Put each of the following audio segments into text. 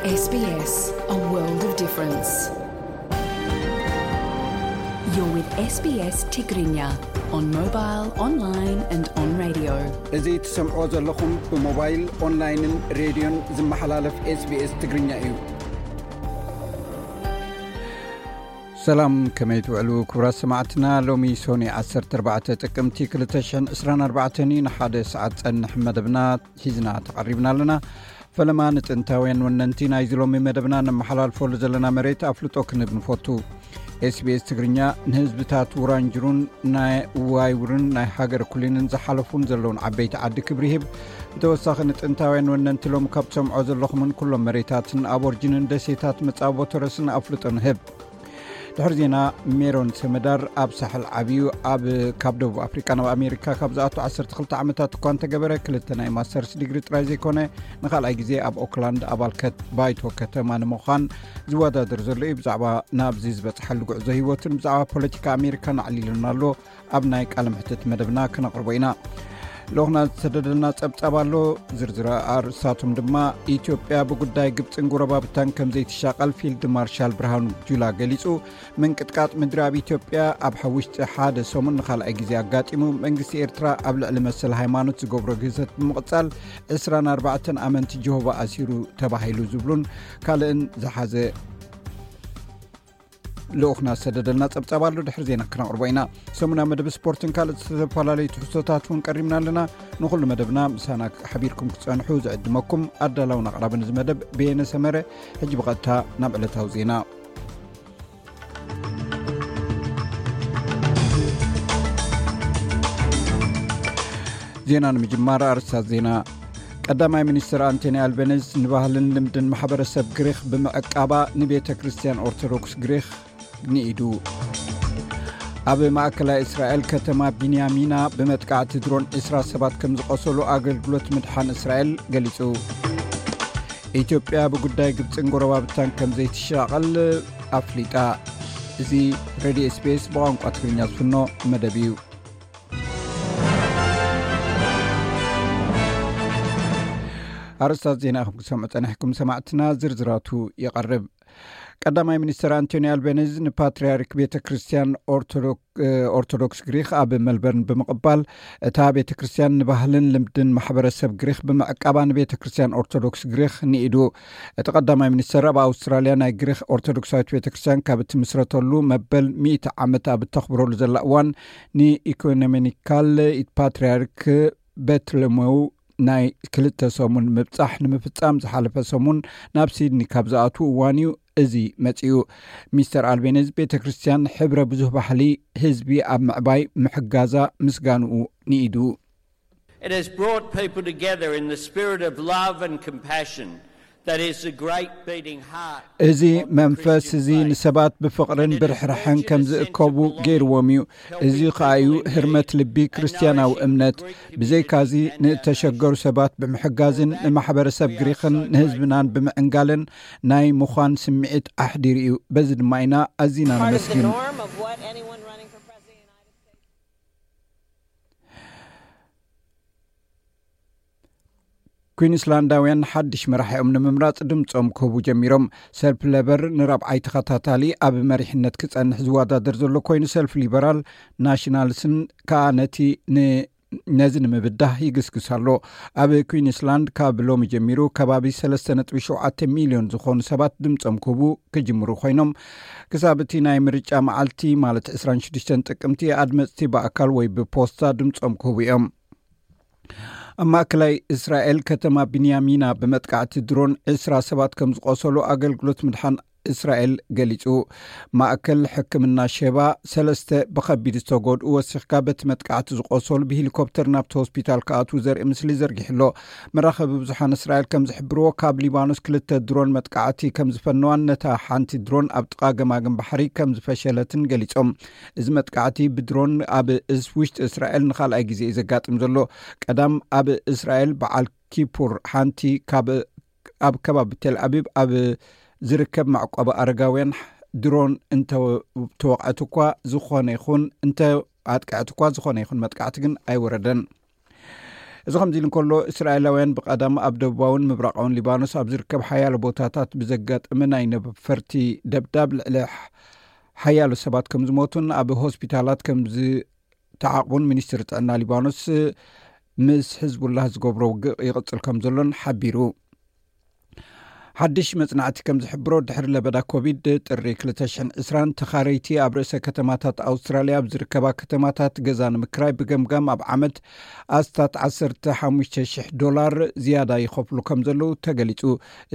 S B S, a world of difference. You're with S B S Tigrinya on mobile, online and on radio. እዚ ትሰምዕዎ ዘለኹም ብሞባይል፣ ኦንላይንን ሬድዮን ዝመሓላለፍ S B S ትግርኛ እዩ። ሰላም፣ ከመይ ትውዕሉ ክቡራት ሰማዕትና? ሎሚ ሶኒ ዓሰርተ ኣርባዕተ ጥቅምቲ ክልተ ሽሕን ዕስራን ኣርባዕተን እዩ። ንሓደ ሰዓት ጸንሕ መደብና ሒዝና ተቐሪብና ኣለና። ፈለማ ንጥንታውያን ወነንቲ ናይዚ ሎሚ መደብና ነመሓላልፈሉ ዘለና መሬት ኣፍልጦ ክንህብ ንፈቱ። S B S ትግርኛ ንህዝብታት ውራንጅሩን ናይ ዋይውርን ናይ ሃገር ኩሊንን ዝሓለፉን ዘለውን ዓበይቲ ዓዲ ክብሪ ይህብ። ብተወሳኺ ንጥንታውያን ወነንቲ ሎም ካብ ትሰምዖ ዘለኹምን ኩሎም መሬታትን ኣቦርጅንን ደሴታት መጻቦ ተረስን ኣፍልጦ ንህብ። ድሕሪ ዜና ሜሮን ሰመዳር ኣብ ሳሕል ዓብዩ ኣብ ካብ ደቡብ ኣፍሪቃ ናብ ኣሜሪካ ካብ ዝኣቱ ዓሰርተ ክልተ ዓመታት እኳ እንተገበረ፣ ክልተ ናይ ማስተርስ ዲግሪ ጥራይ ዘይኮነ ንኻልኣይ ግዜ ኣብ ኦክላንድ ኣባል ከት-፣ ባይቶ ከተማ ንምዃን ዝወዳደር ዘሎ እዩ። ብዛዕባ ናብዚ ዝበጽሓሉ ጉዕዞ ህይወቱን ብዛዕባ ፖለቲካ ኣሜሪካን ኣዕሊሉና ኣሎ። ኣብ ናይ ቃለ መሕትት መደብና ክነቕርቦ ኢና። ልኡኽና ዝተደደልና ጸብጻብ ኣሎ። ዝርዝር ኣርእስታቶም ድማ፣ ኢትዮጵያ ብጉዳይ ግብጽን ጎረባብታን ከም ዘይትሻቐል ፊልድ ማርሻል ብርሃኑ ጁላ ገሊጹ፣ ምንቅጥቃጥ ምድሪ ኣብ ኢትዮጵያ ኣብ ውሽጢ ሓደ ሰሙን ንኻልኣይ ግዜ ኣጋጢሙ፣ መንግስቲ ኤርትራ ኣብ ልዕሊ መሰል ሃይማኖት ዝገብሮ ግህሰት ብምቕጻል ዕስራን ኣርባዕተን ኣመንቲ ጀሆቫ ኣሲሩ ተባሂሉ ዝብሉን ካልእን ዝሓዘ ልኡኽና ዝሰደደልና ጸብጻብ ኣሎ። ድሕሪ ዜና ክነቕርቦ ኢና። ሰሙና መደብ ስፖርትን ካልእ ዝተፈላለዩ ትሕዝቶታት እውን ቀሪብና ኣለና። ንኹሉ መደብና ምሳና ሓቢርኩም ክትጸንሑ ዝዕድመኩም ኣዳላውን ኣቕራብን እዚ መደብ በየነ ሰመረ። ሕጂ ብቐጥታ ናብ ዕለታዊ ዜና። ዜና ንምጅማር ኣርእስታት ዜና። ቀዳማይ ሚኒስትር ኣንቶኒ ኣልበነዝ ንባህልን ልምድን ማሕበረሰብ ግሪኽ ብምዕቃባ ንቤተ ክርስቲያን ኦርቶዶክስ ግሪኽ ንኢዱ። ኣብ ማእከላይ እስራኤል ከተማ ቢንያሚና ብመጥቃዕቲ ድሮን ዕስራ ሰባት ከም ዝቖሰሉ ኣገልግሎት ምድሓን እስራኤል ገሊጹ። ኢትዮጵያ ብጉዳይ ግብጽን ጎረባብታን ከም ዘይትሻቐል ኣፍሊጣ። እዚ ሬድዮ S B S ብቋንቋ ትግርኛ ዝፍኖ መደብ እዩ። ኣርእስታት ዜና ኢኹም ክሰምዑ ጸኒሕኩም ሰማዕትና፣ ዝርዝራቱ ይቐርብ። ቀዳማይ ሚኒስትር ኣንቶኒ ኣልቤኒዝ ንፓትርያርክ ቤተ ክርስቲያን ኦርቶዶክ-፣ ኦርቶዶክስ ግሪክ ኣብ መልበርን ብምቕባል፣ እታ ቤተ ክርስቲያን ንባህልን ልምድን ማሕበረሰብ ግሪክ ብምዕቃባ ንቤተ ክርስቲያን ኦርቶዶክስ ግሪክ ንኢዱ። እቲ ቀዳማይ ሚኒስትር ኣብ ኣውስትራልያ ናይ ግሪክ ኦርቶዶክሳዊት ቤተ ክርስቲያን ካብ እትምስረተሉ መበል ሚእቲ ዓመት ኣብ እተኽብረሉ ዘላ እዋን፣ ንኢኮኖሚካል ፓትርያርክ በትለመው ናይ ክልተ ሰሙን ምብጻሕ ንምፍጻም ዝሓለፈ ሰሙን ናብ ሲድኒ ካብ ዝኣትዉ እዋን እዩ እዚ መጺኡ። ሚስተር ኣልቤኒዝ ቤተ ክርስቲያን ሕብረ ብዙህ ባህሊ ህዝቢ ኣብ ምዕባይ ምሕጋዛ ምስጋንኡ ንኢዱ። It has brought people together in the spirit of love and compassion that is the great beating heart እዚ of መንፈስ Christian እዚ faith. ንሰባት ብፍቕርን ብርሕራሕን ከም ዝእከቡ ገይርዎም እዩ። እዚ ኸኣ እዩ ህርመት ልቢ ክርስትያናዊ እምነት። ብዘይካዚ ንእተሸገሩ ሰባት ብምሕጋዝን ንማሕበረሰብ ግሪኽን ንህዝብናን ብምዕንጋልን ናይ ምዃን ስምዒት ኣሕዲሩ እዩ። በዚ ድማ ኢና ኣዚና ነመስግን። ኩዊንስላንዳውያን ሓድሽ መራሒኦም ንምምራጽ ድምጾም ክህቡ ጀሚሮም። ሰልፊ ለበር ንራብዓይ ተኸታታሊ ኣብ መሪሕነት ክጸንሕ ዝወዳደር ዘሎ ኮይኑ፣ ሰልፊ ሊበራል ናሽናልስን ከኣ ነቲ ን-፣ ነዚ ንምብዳህ ይግስግስ ኣሎ። ኣብ ኩዊንስላንድ ካብ ሎሚ ጀሚሩ ከባቢ ሰለስተ ነጥቢ ሸውዓተ ሚልዮን ዝኾኑ ሰባት ድምጾም ክህቡ ክጅምሩ ኮይኖም፣ ክሳብ እቲ ናይ ምርጫ መዓልቲ ማለት ዕስራን ሽዱሽተን ጥቅምቲ ኣድመጽቲ ብኣካል ወይ ብፖስታ ድምጾም ክህቡ እዮም። ኣብ ማእከላይ እስራኤል ከተማ ብንያሚና ብመጥቃዕቲ ድሮን ዕስራ ሰባት ከም ዝቖሰሉ ኣገልግሎት ምድሓን እስራኤል ገሊጹ። ማእከል ሕክምና ሼባ ሰለስተ ብኸቢድ ዝተጎድኡ ወሲኽካ በቲ መጥቃዕቲ ዝቖሰሉ ብሄሊኮፕተር ናብቲ ሆስፒታል ክኣትዉ ዘርኢ ምስሊ ዘርጊሑ ኣሎ። መራኸቢ ብዙሓን እስራኤል ከም ዝሕብርዎ ካብ ሊባኖስ ክልተ ድሮን መጥቃዕቲ ከም ዝፈነዋን ነታ ሓንቲ ድሮን ኣብ ጥቓ ገማግም ባሕሪ ከም ዝፈሸለትን ገሊጾም። እዚ መጥቃዕቲ ብድሮን ኣብ እስ-፣ ውሽጢ እስራኤል ንኻልኣይ ግዜ እዩ ዘጋጥም ዘሎ። ቀዳም ኣብ እስራኤል በዓል ኪፑር ሓንቲ ካብ፣ ኣብ ከባቢ ቴል ኣቢብ ኣብ ዝርከብ መዕቆቢ ኣረጋውያን ድሮን እንተ-፣ ተወቕዐት እኳ ዝኾነ ይኹን፣ እንተ ኣጥቅዐት እኳ ዝኾነ ይኹን መጥቃዕቲ ግን ኣይወረደን። እዚ ከምዚ ኢሉ እንከሎ፣ እስራኤላውያን ብቐዳም ኣብ ደቡባውን ምብራቓውን ሊባኖስ ኣብ ዝርከብ ሓያሎ ቦታታት ብዘጋጠመ ናይ ነፈርቲ ደብዳብ ልዕሊ ሓያሎ ሰባት ከም ዝሞቱን ኣብ ሆስፒታላት ከም ዝተዓቕቡን ሚኒስትሪ ጥዕና ሊባኖስ ምስ ሕዝቡላህ ዝገብሮ ውግእ ይቕጽል ከም ዘሎን ሓቢሩ። ሓድሽ መጽናዕቲ ከም ዝሕብሮ፣ ድሕሪ ለበዳ ኮቪድ ጥሪ ክልተ ሽሕን ዕስራን፣ ተኻረይቲ ኣብ ርእሰ ከተማታት ኣውስትራልያ ኣብ ዝርከባ ከተማታት ገዛ ንምክራይ ብገምጋም ኣብ ዓመት ኣስታት ዓሰርተ ሓሙሽተ ሽሕ ዶላር ዝያዳ ይኸፍሉ ከም ዘለዉ ተገሊጹ።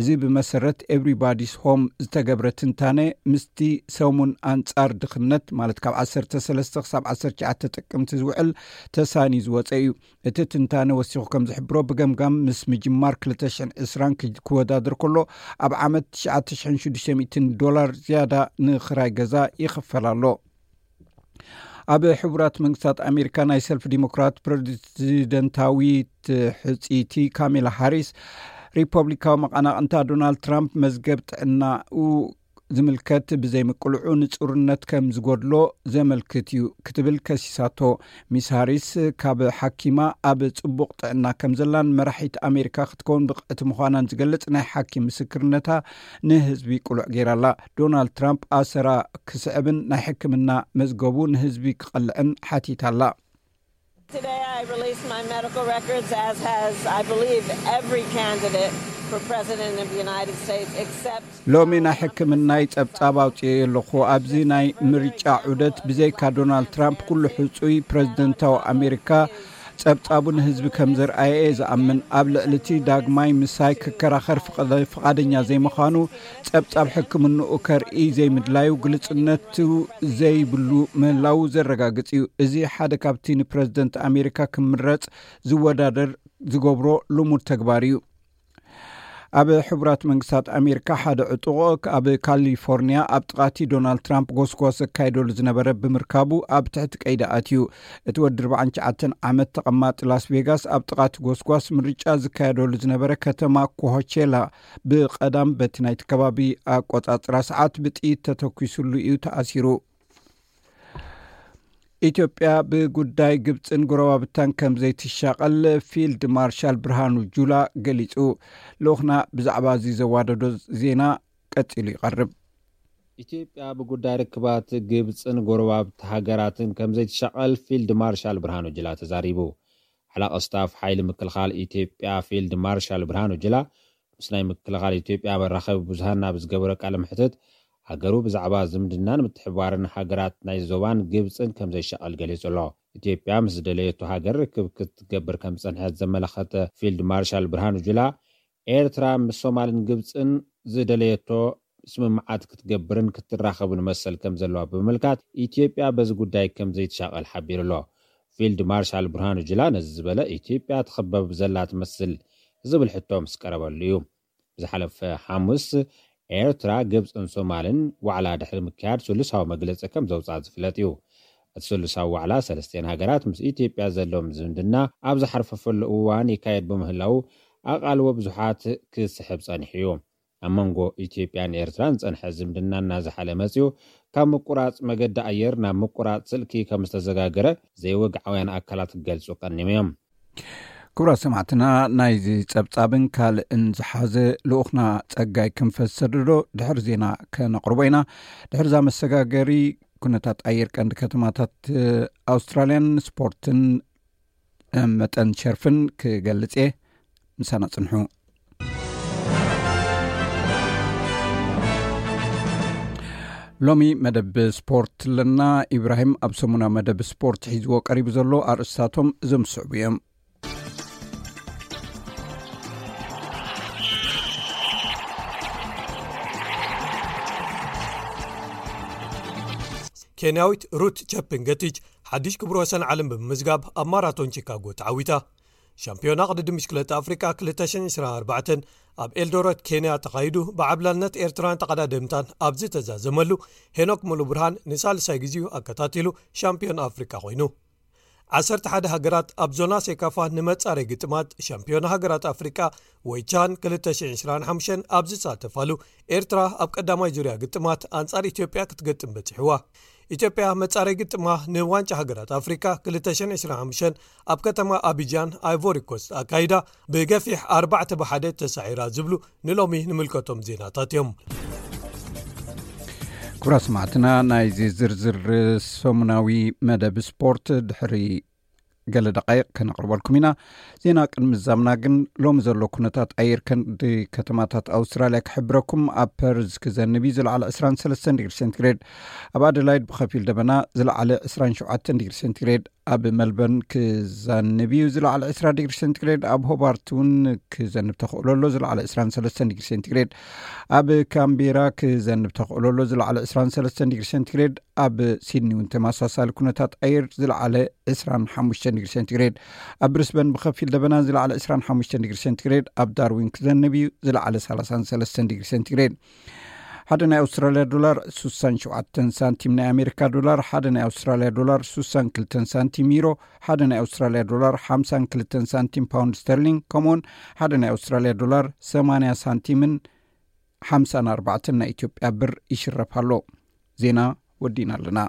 እዚ ብመሰረት ኤቭሪባዲስ ሆም ዝተገብረ ትንታነ፣ ምስቲ ሰሙን ኣንጻር ድኽነት፣ ማለት ካብ ዓሰርተ ሰለስተ ክሳብ ዓሰርተ ትሽዓተ ጥቅምቲ ዝውዕል፣ ተሳንዩ ዝወጸ እዩ። እቲ ትንታነ ወሲኹ ከም ዝሕብሮ፣ ብገምጋም ምስ ምጅማር ክልተ ሽሕን ዕስራን ክወዳደር ከሎ፣ ኣብ ዓመት ትሽዓተ ሽሕን ሽዱሽተ ሚእትን ዶላር ዝያዳ ንኽራይ ገዛ ይኽፈል ኣሎ። ኣብ ሕቡራት መንግስታት ኣሜሪካ ናይ ሰልፊ ዲሞክራት ፕሬዚደንታዊት ሕጽይቲ ካሜላ ሃሪስ፣ ሪፐብሊካዊ መቐናቕንታ ዶናልድ ትራምፕ መዝገብ ጥዕናኡ ዝምልከት ብዘይምቅልዑ ንጹርነት ከም ዝጎድሎ ዘመልክት እዩ ክትብል ከሲሳቶ። ሚስ ሃሪስ፣ ካብ ሓኪማ ኣብ ጽቡቕ ጥዕና ከም ዘላን መራሒት ኣሜሪካ ክትከውን ብቕዕቲ ምዃናን ዝገልጽ ናይ ሓኪም ምስክርነታ ንህዝቢ ቅሉዕ ገይራላ። ዶናልድ ትራምፕ ኣሰራ ክስዕብን ናይ ሕክምና መዝገቡ ንህዝቢ ክቐልዕን ሓቲታላ። Today I released my medical records, as has, I believe, every candidate for president of the United States, except ሎሚ ናይ ሕክምናይ ጸብጻብ ኣውጽኤ ኣለኹ። ኣብዚ ናይ ምርጫ ዑደት ብዘይካ ዶናልድ ትራምፕ ኩሉ ሕጹይ ፕረዚደንታዊ ኣሜሪካ ጸብጻቡ ንህዝቢ ከም ዘርኣየ እየ ዝኣምን። ኣብ ልዕሊ እቲ ዳግማይ ምሳይ ክከራኸር ፍቓደ-፣ ፍቓደኛ ዘይምዃኑ፣ ጸብጻብ ሕክምንኡ ከርኢ ዘይምድላዩ፣ ግልጽነቱ ዘይብሉ ምህላዉ ዘረጋግጽ እዩ። እዚ ሓደ ካብቲ ንፕረዚደንት ኣሜሪካ ክምረጽ ዝወዳደር ዝገብሮ ልሙድ ተግባር እዩ። ኣብ ሕቡራት መንግስታት ኣሜሪካ ሓደ ዕጡቕ ኣብ ካሊፎርኒያ ኣብ ጥቓቲ ዶናልድ ትራምፕ ጎስጓስ ዘካይደሉ ዝነበረ ብምርካቡ ኣብ ትሕቲ ቀይዲ ኣትዩ። እቲ ወዲ ኣርባዓን ትሽዓተን ዓመት ተቐማጢ ላስ ቬጋስ ኣብ ጥቓቲ ጎስጓስ ምርጫ ዝካየደሉ ዝነበረ ከተማ ኮሆቼላ ብቐዳም በቲ ናይቲ ከባቢ ኣቆጻጽራ ሰዓት ብጥይት ተተኲሱሉ እዩ ተኣሲሩ። ኢትዮጵያ ብጉዳይ ግብጽን ጎረባብታን ከም ዘይትሻቐል ፊልድ ማርሻል ብርሃኑ ጁላ ገሊጹ። ልኡኽና ብዛዕባ እዚ ዘዋደዶ ዜና ቀጺሉ ይቐርብ። ኢትዮጵያ ብጉዳይ ርክባት ግብጽን ጎረባብቲ ሃገራትን ከም ዘይትሻቐል ፊልድ ማርሻል ብርሃኑ ጁላ ተዛሪቡ። ሓላቕ ስታፍ ሓይሊ ምክልኻል ኢትዮጵያ ፊልድ ማርሻል ብርሃኑ ጁላ ምስ ናይ ምክልኻል ኢትዮጵያ መራኸቢ ብዙሃን ናብ ዝገበሮ ቃለ መሕትት፣ ሃገሩ ብዛዕባ ዝምድናን ምትሕብባርን ሃገራት ናይ ዞባን ግብጽን ከም ዘይሻቐል ገሊጹ ኣሎ። ኢትዮጵያ ምስ ዝደለየቶ ሃገር ርክብ ክትገብር ከም ዝጸንሐት ዘመለኸተ ፊልድ ማርሻል ብርሃኑ ጁላ፣ ኤርትራ ምስ ሶማልን ግብጽን ዝደለየቶ ስምምዓት ክትገብርን ክትራኸብን መሰል ከም ዘለዋ ብምምልካት፣ ኢትዮጵያ በዚ ጉዳይ ከም ዘይትሻቐል ሓቢሩ ኣሎ። ፊልድ ማርሻል ብርሃኑ ጁላ ነዚ ዝበለ፣ ኢትዮጵያ ትኽበብ ዘላ ትመስል ዝብል ሕቶ ምስ ቀረበሉ እዩ። ብዝሓለፈ ሓሙስ፣ ኤርትራ፣ ግብጽን ሶማልን ዋዕላ ድሕሪ ምክያድ ስሉሳዊ መግለጺ ከም ዘውጽኣ ዝፍለጥ እዩ። እቲ ስሉሳዊ ዋዕላ ሰለስቲኤን ሃገራት ምስ ኢትዮጵያ ዘለዎም ዝምድና ኣብ ዝሓርፈፈሉ እዋን ይካየድ ብምህላዉ፣ ኣቓልቦ ብዙሓት ክስሕብ ጸኒሑ እዩ። ኣብ መንጎ ኢትዮጵያን ኤርትራን ዝጸንሐ ዝምድና እናዝሓለ መጺኡ፣ ካብ ምቁራጽ መገዲ ኣየር ናብ ምቁራጽ ስልኪ ከም ዝተዘጋገረ ዘይወግዓውያን ኣካላት ክገልጹ ቀኒዮም እዮም። ክቡራት ሰማዕትና፣ ናይዚ ጸብጻብን ካልእን ዝሓዘ ልኡኽና ጸጋይ ክንፈሰድዶ ድሕሪ ዜና ከነቕርቦ ኢና። ድሕርዛ መሰጋገሪ፣ ኩነታት ኣየር ቀንዲ ከተማታት ኣውስትራልያን ስፖርትን መጠን ሸርፍን ክገልጽ እየ። ምሳና ጽንሑ። ሎሚ መደብ ስፖርት ኣለና። ኢብራሂም ኣብ ሰሙና መደብ ስፖርት ሒዝዎ ቀሪቡ ዘሎ ኣርእስታቶም እዞም ዝስዕቡ እዮም። ኬንያዊት ሩት ቸፕንገቲች ሓድሽ ክብረ ወሰን ዓለም ብምምዝጋብ ኣብ ማራቶን ቺካጎ ተዓዊታ። ሻምፒዮና ቅድድም ብሽክለታ ኣፍሪቃ ክልተ ሽሕን ዕስራን ኣርባዕተን ኣብ ኤልዶረት ኬንያ ተኻይዱ፣ ብዓብላልነት ኤርትራን ተቐዳደምታን ኣብ ዝተዛዘመሉ፣ ሄኖክ ሙሉብርሃን ንሳልሳይ ግዜኡ ኣከታቲሉ ሻምፒዮን ኣፍሪቃ ኮይኑ። ዓሰርተ ሓደ ሃገራት ኣብ ዞና ሴካፋ ንመጻረይ ግጥማት ሻምፒዮን ሃገራት ኣፍሪቃ ወይ ቻን ክልተ ሽሕን ዕስራን ሓሙሽተን ኣብ ዝሳተፋሉ፣ ኤርትራ ኣብ ቀዳማይ ዙርያ ግጥማት ኣንጻር ኢትዮጵያ ክትገጥም በጺሕዋ። ኢትዮጵያ መጻረይ ግጥማ ንዋንጫ ሃገራት ኣፍሪካ ክልተ ሽሕን ዕስራን ሓሙሽተን ኣብ ከተማ ኣቢጃን ኣይቮሪ ኮስት ኣካይዳ ብገፊሕ ኣርባዕተ ብሓደ ተሳዒራ ዝብሉ ንሎሚ ንምልከቶም ዜናታት እዮም። ክቡራ ሰማዕትና፣ ናይዚ ዝርዝር ሰሙናዊ መደብ ስፖርት ድሕሪ ገለ ደቃይቕ ከነቕርበልኩም ኢና። ዜና ቅድሚ ዛምና ግን ሎሚ ዘሎ ኩነታት ኣየር ከንዲ ከተማታት ኣውስትራልያ ክሕብረኩም። ኣብ ፐርዝ ክዘንብ እዩ፣ ዝለዓለ ዕስራን ሰለስተን ዲግሪ ሴንቲግሬድ። ኣብ ኣደላይድ ብኸፊል ደበና፣ ዝለዓለ ዕስራን ሸውዓተን ዲግሪ ሴንቲግሬድ። ኣብ መልበርን ክዘንብ እዩ፣ ዝለዓለ ዕስራ ዲግሪ ሴንቲግሬድ። ኣብ ሆባርት እውን ክዘንብ ተኽእሎ ኣሎ፣ ዝለዓለ ዕስራን ሰለስተን ዲግሪ ሴንቲግሬድ። ኣብ ካምቤራ ክዘንብ ተኽእሎ ኣሎ፣ ዝለዓለ ዕስራን ሰለስተን ዲግሪ ሴንቲግሬድ። ኣብ ሲድኒ እውን ተመሳሳሊ ኩነታት ኣየር፣ ዝለዓለ ዕስራን ሓሙሽተን ዲግሪ ሴንቲግሬድ። ኣብ ብሪስበን ብኸፊል ደበና፣ ዝለዓለ ዕስራን ሓሙሽተን ዲግሪ ሴንቲግሬድ። ኣብ ዳርዊን ክዘንብ እዩ፣ ዝለዓለ ሰላሳን ሰለስተን ዲግሪ ሴንቲግሬድ። ሓደ ናይ ኣውስትራልያ ዶላር ሱሳን ሸውዓተን ሳንቲም፣ ናይ ኣሜሪካ ዶላር ሓደ ናይ ኣውስትራልያ ዶላር ሱሳን ክልተን ሳንቲም፣ ዩሮ ሓደ ናይ ኣውስትራልያ ዶላር ሓምሳን ክልተን ሳንቲም፣ ፓውንድ ስተርሊንግ ከምኡውን ሓደ ናይ ኣውስትራልያ ዶላር ሰማንያ ሳንቲምን ሓምሳን ኣርባዕተን ናይ ኢትዮጵያ ብር ይሽረፍ ኣሎ። ዜና ወዲና ኣለና።